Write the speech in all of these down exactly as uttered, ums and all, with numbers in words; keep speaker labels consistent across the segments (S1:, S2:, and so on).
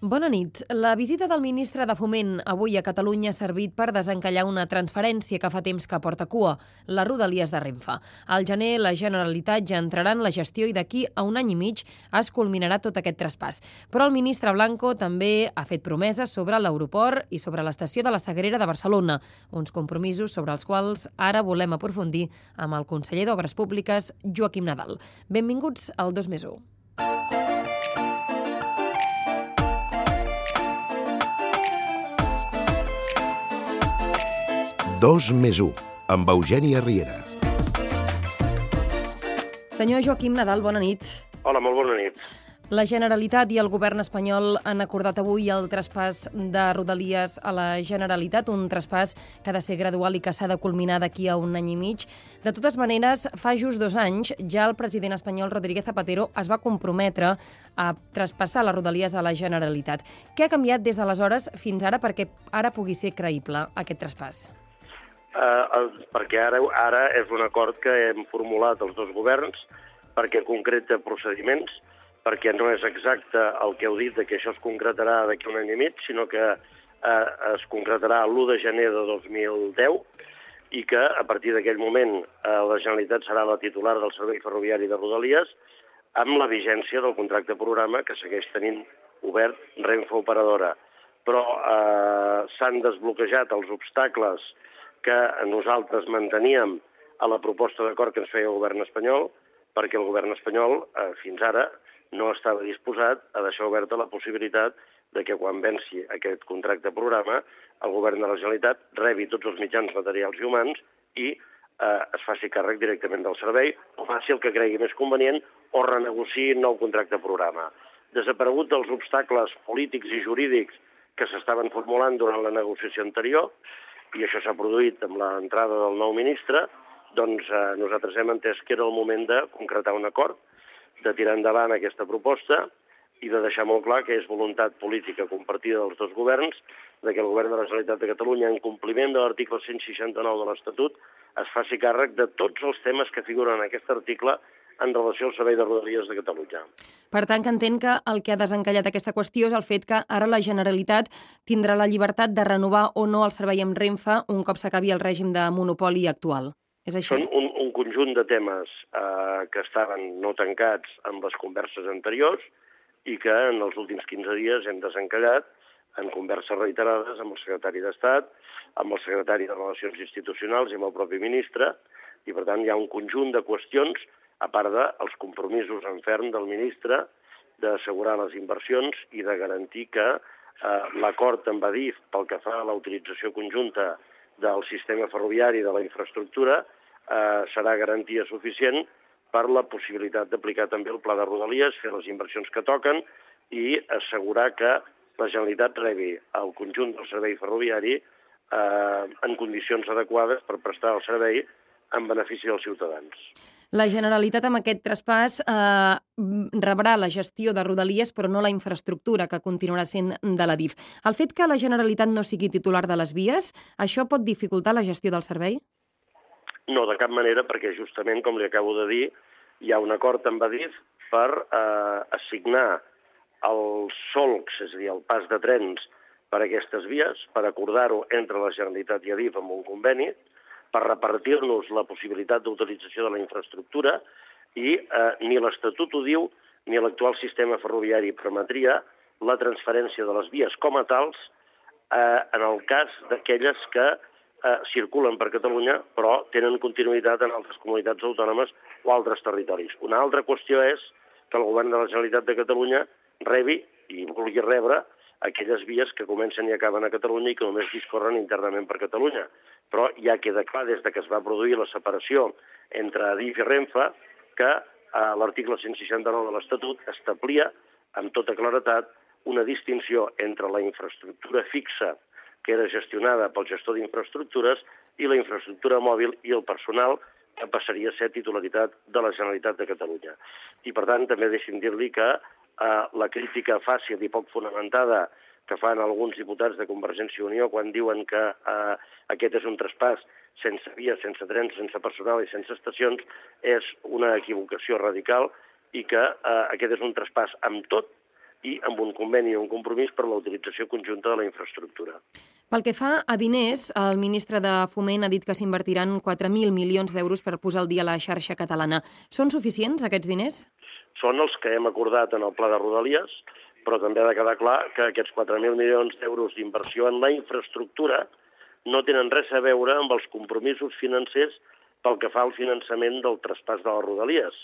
S1: Bona nit. La visita del ministre de Foment avui a Catalunya ha servit per desencallar una transferència que fa temps que porta cua, les Rodalies de Renfe. Al gener, la Generalitat ja entrarà en la gestió i d'aquí a un any i mig es culminarà tot aquest traspàs. Però el ministre Blanco també ha fet promeses sobre l'aeroport i sobre l'estació de la Sagrera de Barcelona, uns compromisos sobre els quals ara volem aprofundir amb el conseller d'Obres Públiques, Joaquim Nadal. Benvinguts al dos més u.
S2: dos més u, amb Eugènia Riera.
S1: Senyor Joaquim Nadal, bona nit.
S3: Hola, molt bona nit.
S1: La Generalitat i el govern espanyol han acordat avui el traspàs de Rodalies a la Generalitat, un traspàs que ha de ser gradual i que s'ha de culminar d'aquí a un any i mig. De totes maneres, fa just dos anys, ja el president espanyol Rodríguez Zapatero es va comprometre a traspassar les Rodalies a la Generalitat. Què ha canviat des d'aleshores fins ara perquè ara pugui ser creïble aquest traspàs?
S3: Uh, perquè ara, ara és un acord que hem formulat els dos governs, perquè concreta procediments, perquè no és exacte el que heu dit de que això es concretarà d'aquí un any i mig, sinó que uh, es concretarà l'u de gener de dos mil deu i que a partir d'aquell moment uh, la Generalitat serà la titular del servei ferroviari de Rodalies amb la vigència del contracte programa que segueix tenint obert Renfe Operadora. Però uh, s'han desbloquejat els obstacles que nosaltres manteníem a la proposta d'acord que ens feia el govern espanyol, perquè el govern espanyol eh, fins ara no estava disposat a deixar oberta la possibilitat de que quan venci aquest contracte programa el govern de la Generalitat rebi tots els mitjans materials i humans i eh, es faci càrrec directament del servei, o faci el que cregui més convenient o renegociï un nou contracte programa. Desaparegut dels obstacles polítics i jurídics que s'estaven formulant durant la negociació anterior, i això s'ha produït amb l'entrada del nou ministre, doncs eh, nosaltres hem entès que era el moment de concretar un acord, de tirar endavant aquesta proposta i de deixar molt clar que és voluntat política compartida dels dos governs, de que el govern de la Generalitat de Catalunya, en compliment de l'article cent seixanta-nou de l'Estatut, es faci càrrec de tots els temes que figuren en aquest article en relació al servei de Rodalies de Catalunya.
S1: Per tant, que entenc que el que ha desencallat aquesta qüestió és el fet que ara la Generalitat tindrà la llibertat de renovar o no el servei amb Renfe un cop s'acabi el règim de monopoli actual. És així?
S3: Són un, un conjunt de temes eh, que estaven no tancats amb les converses anteriors i que en els últims quinze dies hem desencallat en converses reiterades amb el secretari d'Estat, amb el secretari de Relacions Institucionals i amb el propi ministre, i per tant hi ha un conjunt de qüestions a part dels compromisos en ferm del ministre d'assegurar les inversions i de garantir que eh, l'acord amb Adif pel que fa a la utilització conjunta del sistema ferroviari de la infraestructura eh, serà garantia suficient per la possibilitat d'aplicar també el pla de Rodalies, fer les inversions que toquen i assegurar que la Generalitat rebi el conjunt del servei ferroviari eh, en condicions adequades per prestar el servei en benefici dels ciutadans.
S1: La Generalitat amb aquest traspàs eh, rebrà la gestió de Rodalies però no la infraestructura que continuarà sent de l'Adif. El fet que la Generalitat no sigui titular de les vies, això pot dificultar la gestió del servei?
S3: No, de cap manera, perquè justament, com li acabo de dir, hi ha un acord amb Adif per eh, assignar els solcs, és a dir, el pas de trens per a aquestes vies, per acordar-ho entre la Generalitat i Adif amb un conveni, per repartir-nos la possibilitat d'utilització de la infraestructura i eh, ni l'Estatut ho diu ni l'actual sistema ferroviari permetria la transferència de les vies com a tals eh, en el cas d'aquelles que eh, circulen per Catalunya però tenen continuïtat en altres comunitats autònomes o altres territoris. Una altra qüestió és que el govern de la Generalitat de Catalunya rebi i vulgui rebre aquelles vies que comencen i acaben a Catalunya i que només discorren internament per Catalunya. Però ja queda clar des de que es va produir la separació entre Adif i Renfe que eh, l'article cent seixanta-nou de l'Estatut establia amb tota claretat una distinció entre la infraestructura fixa que era gestionada pel gestor d'infraestructures i la infraestructura mòbil i el personal que passaria a ser titularitat de la Generalitat de Catalunya. I per tant també deixi'm dir-li que eh, la crítica fàcil i poc fonamentada que fan alguns diputats de Convergència i Unió quan diuen que eh, aquest és un traspàs sense vies, sense trens, sense personal i sense estacions, és una equivocació radical i que eh, aquest és un traspàs amb tot i amb un conveni i un compromís per la utilització conjunta de la infraestructura.
S1: Pel que fa a diners, el ministre de Foment ha dit que s'invertiran quatre mil milions d'euros per posar al dia la xarxa catalana. Són suficients aquests diners?
S3: Són els que hem acordat en el pla de Rodalies, però també ha de quedar clar que aquests quatre mil milions d'euros d'inversió en la infraestructura no tenen res a veure amb els compromisos financers pel que fa al finançament del traspàs de les Rodalies.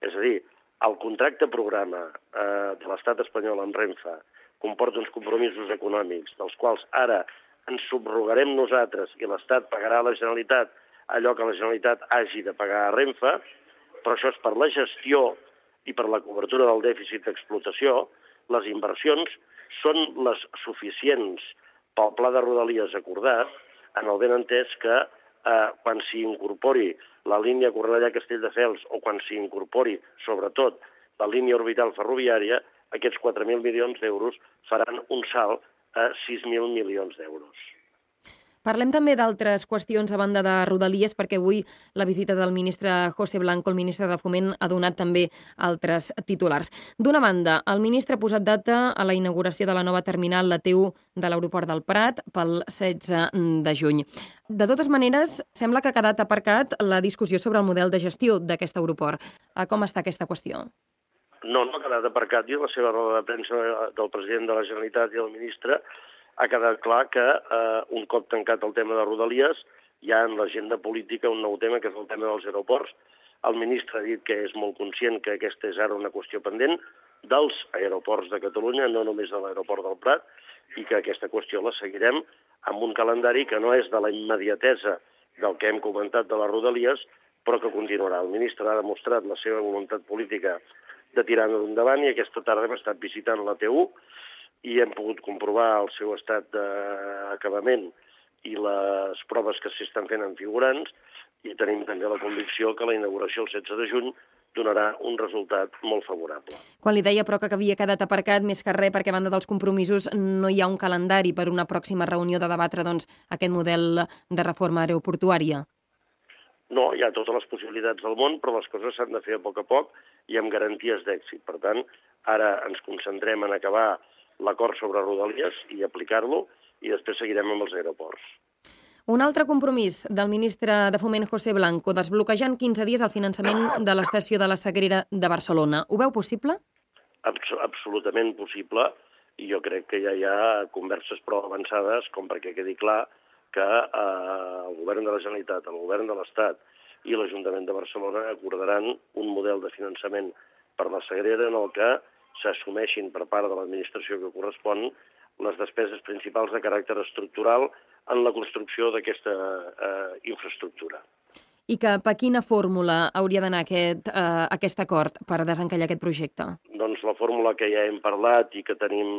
S3: És a dir, el contracte programa eh, de l'estat espanyol amb Renfe comporta uns compromisos econòmics dels quals ara ens subrogarem nosaltres i l'Estat pagarà a la Generalitat allò que la Generalitat hagi de pagar a Renfe, però això és per la gestió i per la cobertura del dèficit d'explotació. Les inversions són les suficients pel pla de Rodalies acordat, en el ben entès que eh, quan s'hi incorpori la línia Cornellà-Castelldefels o quan s'hi incorpori, sobretot, la línia orbital ferroviària, aquests quatre mil milions d'euros faran un salt a sis mil milions d'euros.
S1: Parlem també d'altres qüestions a banda de Rodalies, perquè avui la visita del ministre José Blanco, el ministre de Foment, ha donat també altres titulars. D'una banda, el ministre ha posat data a la inauguració de la nova terminal, la T u de l'aeroport del Prat, pel setze de juny. De totes maneres, sembla que ha quedat aparcat la discussió sobre el model de gestió d'aquest aeroport. Com està aquesta qüestió?
S3: No, no ha quedat aparcat. I la seva roda de premsa del president de la Generalitat i el ministre ha quedat clar que eh, un cop tancat el tema de Rodalies hi ha en l'agenda política un nou tema, que és el tema dels aeroports. El ministre ha dit que és molt conscient que aquesta és ara una qüestió pendent dels aeroports de Catalunya, no només de l'aeroport del Prat, i que aquesta qüestió la seguirem amb un calendari que no és de la immediatesa del que hem comentat de les Rodalies, però que continuarà. El ministre ha demostrat la seva voluntat política de tirar-ho endavant i aquesta tarda hem estat visitant la T u i hem pogut comprovar el seu estat d'acabament i les proves que s'hi estan fent en figurants, i tenim també la convicció que la inauguració el setze de juny donarà un resultat molt favorable.
S1: Quan li deia, però, que havia quedat aparcat més que res perquè a banda dels compromisos no hi ha un calendari per una pròxima reunió de debatre doncs, aquest model de reforma aeroportuària.
S3: No, hi ha totes les possibilitats del món, però les coses s'han de fer a poc a poc i amb garanties d'èxit. Per tant, ara ens concentrem en acabar l'acord sobre Rodalies i aplicar-lo, i després seguirem amb els aeroports.
S1: Un altre compromís del ministre de Foment, José Blanco, desbloquejar en quinze dies el finançament de l'estació de la Sagrera de Barcelona. Ho veu possible?
S3: Abs absolutament possible, i jo crec que ja hi ha converses prou avançades com perquè quedi clar que eh, el govern de la Generalitat, el govern de l'Estat i l'Ajuntament de Barcelona acordaran un model de finançament per la Sagrera en el que s'assumeixin per part de l'administració que correspon les despeses principals de caràcter estructural en la construcció d'aquesta eh, infraestructura.
S1: I cap a quina fórmula hauria d'anar aquest, eh, aquest acord per desencallar aquest projecte?
S3: Doncs la fórmula que ja hem parlat i que tenim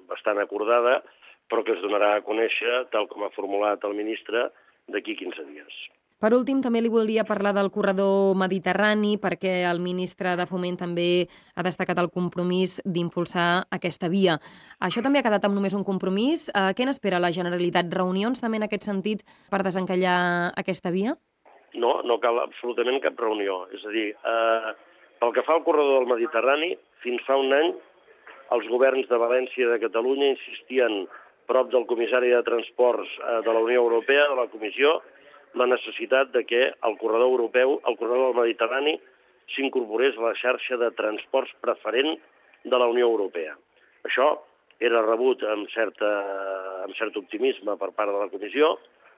S3: bastant acordada, però que es donarà a conèixer, tal com ha formulat el ministre, d'aquí quinze dies.
S1: Per últim, també li volia parlar del corredor mediterrani, perquè el ministre de Foment també ha destacat el compromís d'impulsar aquesta via. Això també ha quedat amb només un compromís. Eh, què n'espera la Generalitat? Reunions també en aquest sentit per desencallar aquesta via?
S3: No, no cal absolutament cap reunió. És a dir, eh, pel que fa al corredor del Mediterrani, fins fa un any els governs de València i de Catalunya insistien prop del comissari de Transports eh, de la Unió Europea, de la Comissió, la necessitat de que el corredor europeu, el corredor del Mediterrani, s'incorporés a la xarxa de transports preferent de la Unió Europea. Això era rebut amb, certa, amb cert optimisme per part de la Comissió,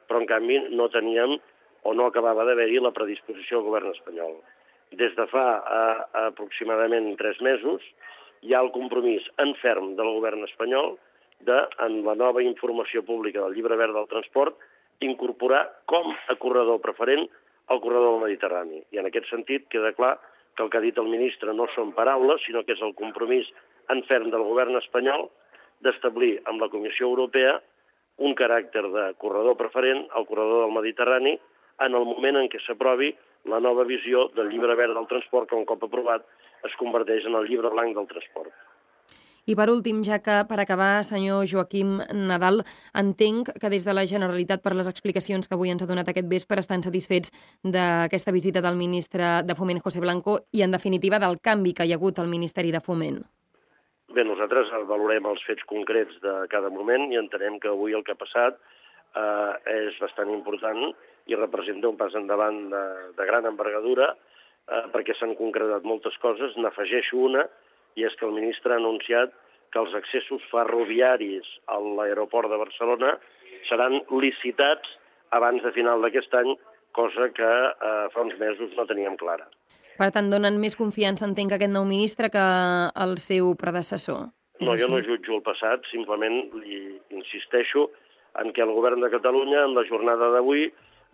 S3: però en canvi no teníem o no acabava d'haver-hi la predisposició del govern espanyol. Des de fa eh, aproximadament tres mesos hi ha el compromís en ferm del govern espanyol de, en la nova informació pública del Llibre Verd del Transport, incorporar com a corredor preferent el corredor del Mediterrani. I en aquest sentit queda clar que el que ha dit el ministre no són paraules, sinó que és el compromís en ferm del govern espanyol d'establir amb la Comissió Europea un caràcter de corredor preferent al corredor del Mediterrani en el moment en què s'aprovi la nova visió del Llibre Verd del Transport, que un cop aprovat es converteix en el Llibre Blanc del Transport.
S1: I per últim, ja que per acabar, senyor Joaquim Nadal, entenc que des de la Generalitat, per les explicacions que avui ens ha donat aquest vespre, estan satisfets d'aquesta visita del ministre de Foment, José Blanco, i en definitiva del canvi que hi ha hagut al Ministeri de Foment.
S3: Bé, nosaltres valorem els fets concrets de cada moment i entenem que avui el que ha passat eh, és bastant important i representa un pas endavant de, de gran envergadura eh, perquè s'han concretat moltes coses. N'afegeixo una, i és que el ministre ha anunciat que els accessos ferroviaris a l'aeroport de Barcelona seran licitats abans de final d'aquest any, cosa que eh, fa uns mesos no teníem clara.
S1: Per tant, donen més confiança, entenc, aquest nou ministre que el seu predecessor.
S3: No, jo no jutjo el passat, simplement li insisteixo en que el govern de Catalunya, en la jornada d'avui,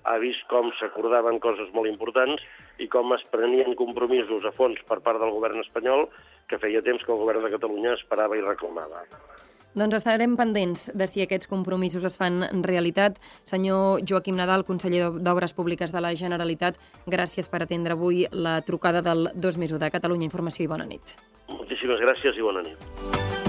S3: ha vist com s'acordaven coses molt importants i com es prenien compromisos a fons per part del govern espanyol que feia temps que el govern de Catalunya esperava i reclamava.
S1: Doncs estarem pendents de si aquests compromisos es fan realitat. Senyor Joaquim Nadal, conseller d'Obres Públiques de la Generalitat, gràcies per atendre avui la trucada del dos més u de Catalunya Informació i bona nit.
S3: Moltíssimes gràcies i bona nit.